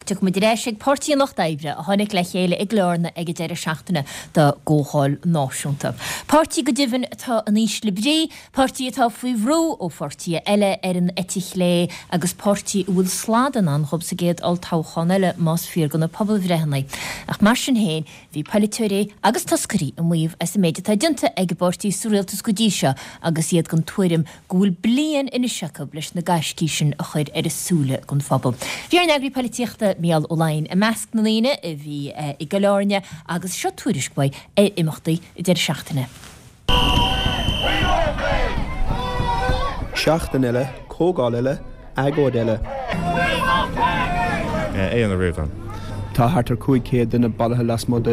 Tiocfaidh muid ar ais ag Páirtí an Lucht Oibre a tháinig le chéile i gCill Airne ag an deireadh seachtaine dá gcomhdháil náisiúnta. Páirtí go deimhin atá in ísle brí, páirtí atá faoi bhrú ó pháirtithe eile ar an eite chlé agus páirtí a bhfuil slad i ndán dhóibh sa gcéad olltoghchán eile más fíor do na pobalbhreitheanna. Ach mar sin féin, Bhí polaiteoirí agus toscairí ag maíomh as an méid atá déanta ag an bpáirtí sa rialtas go dtí seo agus iad den tuairim go bhfuil bliain anois acu leis na gaiscí sin a chur ar a súile don phobal. Bhí ár n-eagraí polaitíochta Mícheál Ó Laighin i measc na ndaoine a bhí i gCill Airne agus seo tuairisc uaidh ar imeachtaí an deireadh seachtaine. Seachtain eile, comhdháil eile, agóid eile. Aodhán Ó Ríordáin. Tá thart ar 500 duine bailithe lasmuigh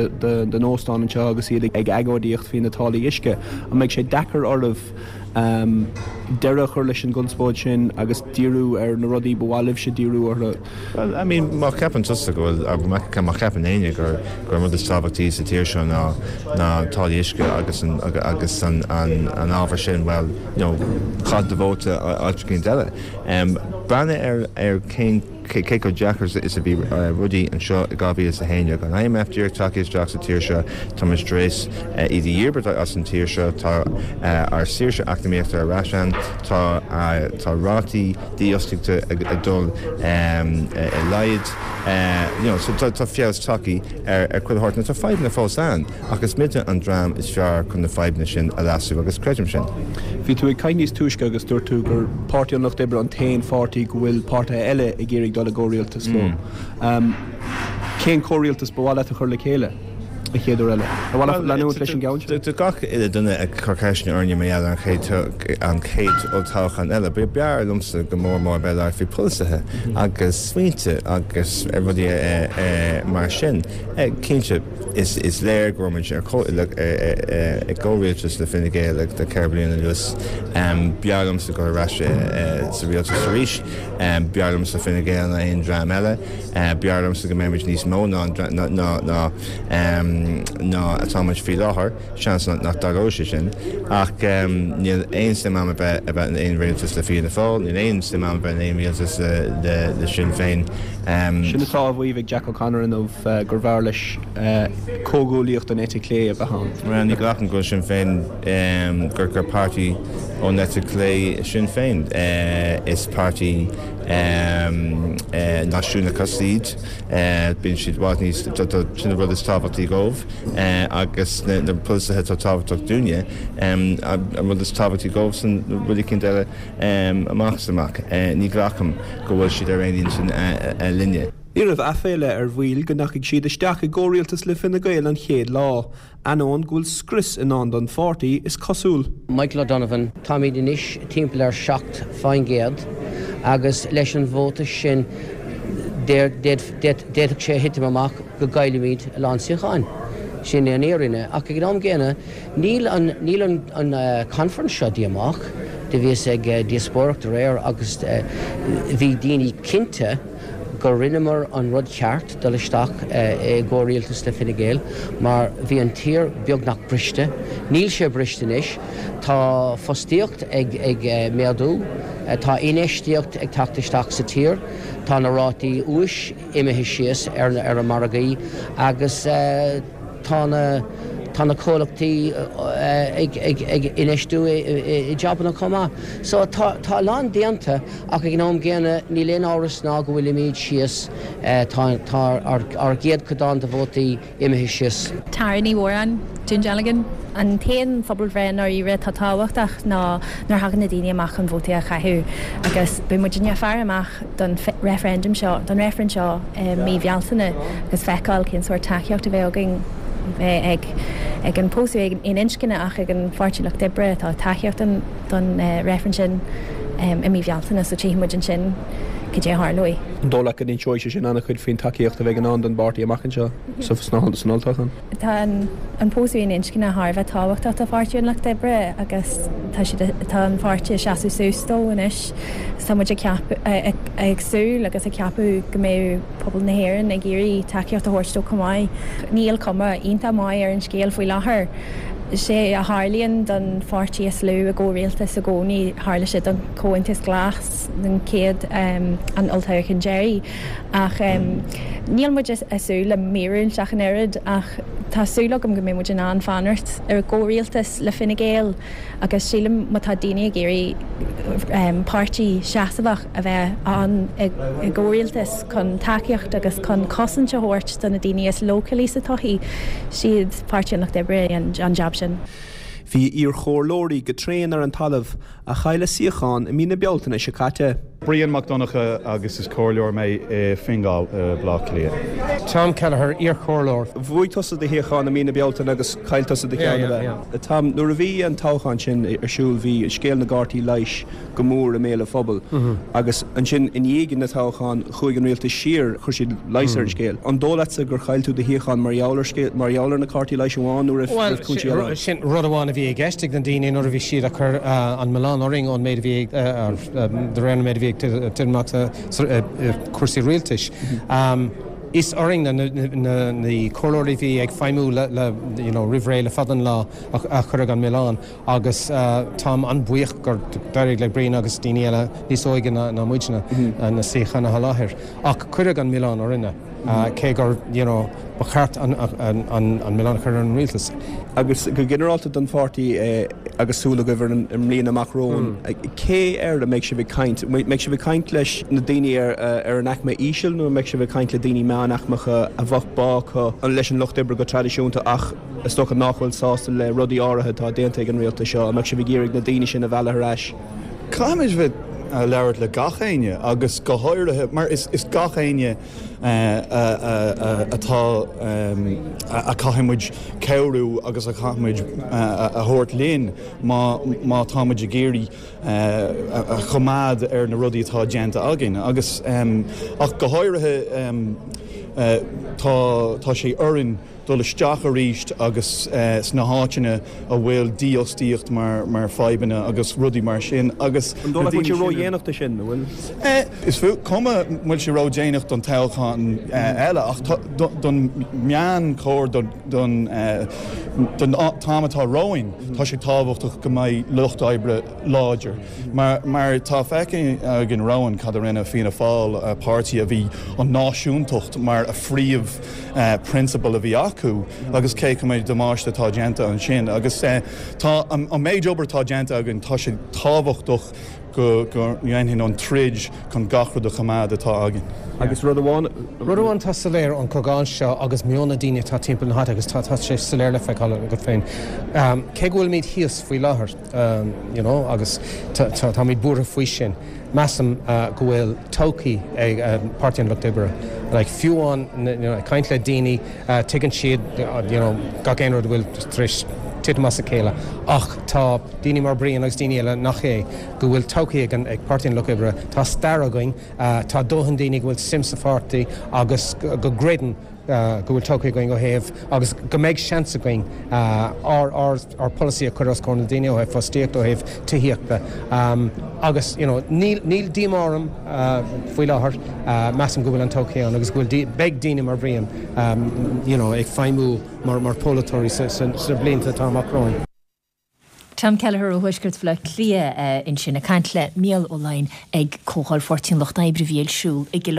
den óstán anseo agus iad ag agóidíocht faoi na táillí uisce. An mbeidh sé deacair oraibh deireadh a chur leis an gconspóid sin agus díriú ar na rudaí ba mhaith libhse díriú orthu? Bhuel, I mean, má cheapann tusa go bhfuil, má cheapann éinne gur gur an rud is tábhachtaí sa tír seo ná ná táillí uisce agus an agus an an an ábhar sin, bhuel, you know, caith do vóta áit eicínt eile. Breathnaigh ar ar cén cé cé chomh deacair is a bhí rudaí anseo i 2011. An IMF díreach tagtha isteach sa tír seo, tá muid tar éis iad a dhíbirt as an tír seo, tá ár saoirse eacnamaíochta ar ais ann, tá tá rátaí dífhostaíochta ag dul i laghad. You know, so tá feabhas tagtha ar chuile shórt. Now tá fadhbanna fós ann, ach is muide an dream is fearr chun na fadhbanna sin a leasú agus creidim sin. Bhí tú ag caint níos túisce agus dúirt tú gur Páirtí an Lucht Oibre an t-aon pháirtí go bhfuil páirtithe eile ag iarraidh dul i gcomhrialtas leo. Cén comhrialtas ba mhaith leat a chur le chéile? An chéad uair eile. Ar mhaith leat leanúint leis an gceann seo? Do gach uile duine ag cur ceisteanna orainne mar gheall ar an chéad olltoghchán eile, b'fhearr liomsa go mór mór bheith ag labhairt faoi polasaithe agus smaointe agus rudaí mar sin. Cinnte, is léir go raibh muid i gcomhrialtas le Fine Gael le 4 bliana anuas. B'fhearr liomsa dul ar ais sa rialtas arís. B'fhearr liomsa Fine Gael ná aon dream eile. B'fhearr liomsa go mbeidh muid níos mó ná ná atá muid faoi láthair, seans nach dtarlóidh sé sin, ach níl aon suim a'm a bheith a bheith in aon rialtas le Fianna Fáil, níl aon suim a'm a bheith in aon rialtas le Sinn Féin. Sin atá á mhaíomh ag Jack O'Connor inniu, gurbh fhearr leis comhghuaillíocht den eite chlé a bheith ann. Bhuel, ní ghlacaim go bhfuil Sinn Féin, gur páirtí ón eite chlé Sinn Féin. Is páirtí. náisiúnachas iad, bíonn siad i bhfad níos, sin an rud is tábhachtaí dhóibh agus na polasaithe atá tábhachtach dúinne, an rud is tábhachtaí dhóibhsan rud eicínt eile amach is amach. Ní ghlacaim go bhfuil siad ar aon intinn linne. Ní raibh aiféala ar bhaill go ndeachaigh siad isteach i gcomhrialtas le Fine Gael an chéad lá, Ainneoin go bhfuil scrios i ndán don pháirtí, is cosúil. Michael O'Donovan, Táimid anois timpeall ar 7% agus leis an vóta sin d'fhéadfadh sé a thitim amach go gcaillfimid a lán suíocháin. Sin é an fhírinne. Ach ag an am gcéanna níl an níl an conference seo díomách. Do bhíos ag díospóireacht aréir agus bhí daoine cinnte, go rinneamar an rud ceart dul isteach i gcomhrialtas le Fine Gael mar bhí an tír beagnach briste. Níl sé briste anois. Tá fostaíocht ag méadú, tá infheistíocht ag teacht isteach sa tír, tá na rátaí úis imithe síos ar na margaí agus tá na tá na comhlachtaí ag ag infheistiú i jabanna chomh maith. So tá tá a lán déanta ach ag an am gcéanna níl aon amhras ná go bhfuilimid síos, tá tá ár ár gcéadchodán de vótaí imithe síos. Tara Ní Mhóráin, Dún Dealgan. An t-aon phobalbhreith i ndáiríre atá tábhachtach ná nuair a thagann na daoine amach chun vótaí a chaitheamh agus beidh muidinne ag faire amach don referendum seo, don reifreann seo i mí Bhealtaine agus feiceáil cén sórt tacaíocht a bheidh againn bheith ag ag an pósadh aon inscne ach ag an Pháirtí Lucht Oibre tá tacaíocht don don reifreann sin i mí Bhealtaine so tchífidh muid ansin cad é a tharlóidh. An dóigh leat go n-inseoidh sé sin an-chuid faoin tacaíocht a bheidh i ndán don bpáirtí amach anseo san olltoghchán? Tá an pósadh aon inscne thar a bheith tábhachtach do Pháirtí an Lucht Oibre agus tá siad, tá an pháirtí ag seasamh suas dó anois. Tá muid ag ceapadh, ag súil agus ag ceapadh go mbeidh pobal na hÉireann ag iarraidh tacaíocht a thabhairt dó chomh maith. Níl cuma iontach maith ar an scéal faoi láthair. Is é a tharlaíonn don pháirtí is lú i gcomhrialtas i gcónaí, tharla sé don Chomhaontas Glas den chéad an olltoghchán deiridh. Ach níl muid ag súil le míorúilt ach an oiread ach tá súil agam go mbeidh muid in ann fanacht i gcomhrialtas le Fine Gael agus sílim má tá daoine ag iarraidh páirtí seasmhach a bheith ann i gcomhrialtas chun tacaíocht agus chun cosaint a thabhairt do na daoine is leochailí sa tsochaí, siad Páirtí an Lucht Oibre an jab sin. Bhí a iarchomhairleoirí go tréan ar an talamh a chaill a suíochán i mí na Bealtaine seo caite. Brian Mac Donncha agus is comhairleoir mé i Fingal i Bleá Cliath. Tom Kelleher, iarchomhairleoir. Bhuaigh tusa do shuíochán i mí na Bealtaine agus chaill tusa do cheann, ab ea? Tom, nuair a bhí an toghchán sin ar siúl bhí scéal na gcártaí leighis go mór i mbéal an phobail agus ansin i ndiaidh na toghchán chuaigh an rialtas siar, chuir siad leigheas ar an scéal. An dóigh leatsa gur chaill tú do shuíochán mar gheall ar scéal, mar gheall ar na cártaí leighis amháin nó raibh Bhuel, cúinsí eile ann? sin rud amháin a bhí i gceist ag na daoine nuair a bhí siad ag cur an milleán orainn ón méid a bhí ag, de réir na méid a bhí ag titim amach sa cúrsaí rialtais. Is orainn na comhairleoirí a bhí ag feidhmiú le, you know, roimh ré le fada an lá a cuireadh an milleán. Agus táim an-bhuíoch gur d'éirigh le Brian agus daoine eile níos óige ná muidne na suíocháin a sholáthar. Ach cuireadh an milleán orainne, cé gur, you know, ba cheart an milleán a chur ar an rialtas. Agus go ginearálta don pháirtí agus súil agaibh ar an mbliain amach romhainn, cé air a mbeidh sibh ag caint? An mbeidh sibh ag caint leis na daoine ar an aicme íseal nó an mbeidh sibh ag caint le daoine meánaicmeacha a bheadh bá acu leis an lucht oibre go traidisiúnta ach Is dócha nach bhfuil sásta le rudaí áirithe atá déanta ag an rialtas seo. An mbeadh sibh ag iarraidh na daoine sin a mhealladh ar ais? Caithfimid bheith ag labhairt le gach éinne agus go háirithe mar is gach éinne atá a caithfidh muid cabhrú agus a chaithfidh muid a thabhairt linn má má tá muid ag iarraidh a choimeád ar na rudaí atá déanta againn agus ach go háirithe tá tá sé orainn dul isteach arís agus sna háiteanna a bhfuil dífhostaíocht mar fadhbanna agus rudaí mar sin agus An dóigh leat go bhfuil sé ródhéanach do sin, an bhfuil? Is cuma an bhfuil sé ródhéanach don toghchán eile ach don meánchóir don t-am atá romhainn tá sé tábhachtach go mbeidh lucht oibre láidir. Mar tá feicthe againn romhainn cad a rinne Fianna Fáil, páirtí a bhí an náisiúntacht mar a phríomh prionsabal a bhí acu agus cé chomh méid damáiste atá déanta ansin. Agus tá an méid obair atá déanta againn, tá sé tábhachtach go ndéanfainn an troid chun gach rud a choimeád atá againn. Agus rud amháin. Rud amháin atá soiléir ón chomhdháil seo agus meon na daoine atá timpeall na háite agus tá sé soiléir le feiceáil agat féin, cé go bhfuilimid thíos faoi láthair, you know agus táimid buartha faoi sin. Measaim go bhfuil todhchaí ag Páirtí an Lucht Oibre. Like fiú amháin you know ag caint le daoine tuigeann siad you know gach aon rud a bhfuil tar éis titim as a chéile ach tá daoine mar Brian agus daoine eile nach é go bhfuil todhchaí ag an ag Páirtí an Lucht Oibre. Tá stair againn, tá dóthain daoine go bhfuil suim sa pháirtí agus go gcreideann go bhfuil todhchaí againn ó thaobh agus go mbeidh seans againn ár ár polasaí a chur os comhair na daoine ó thaobh fostaíochta, ó thaobh tithíochta agus you know níl níl díomá orm faoi láthair, measaim go bhfuil an todhchaí ann agus go bhfuil beidh daoine mar Bhrian you know ag feidhmiú mar mar pholaiteoirí sna blianta atá amach romhainn. Tom Kelleher ó Thuaisceart Bhaile Átha Cliath ansin ag caint le Mícheál Ó Laighin ag Comhdháil Pháirtí an Lucht Oibre a bhí ar siúl i gCill.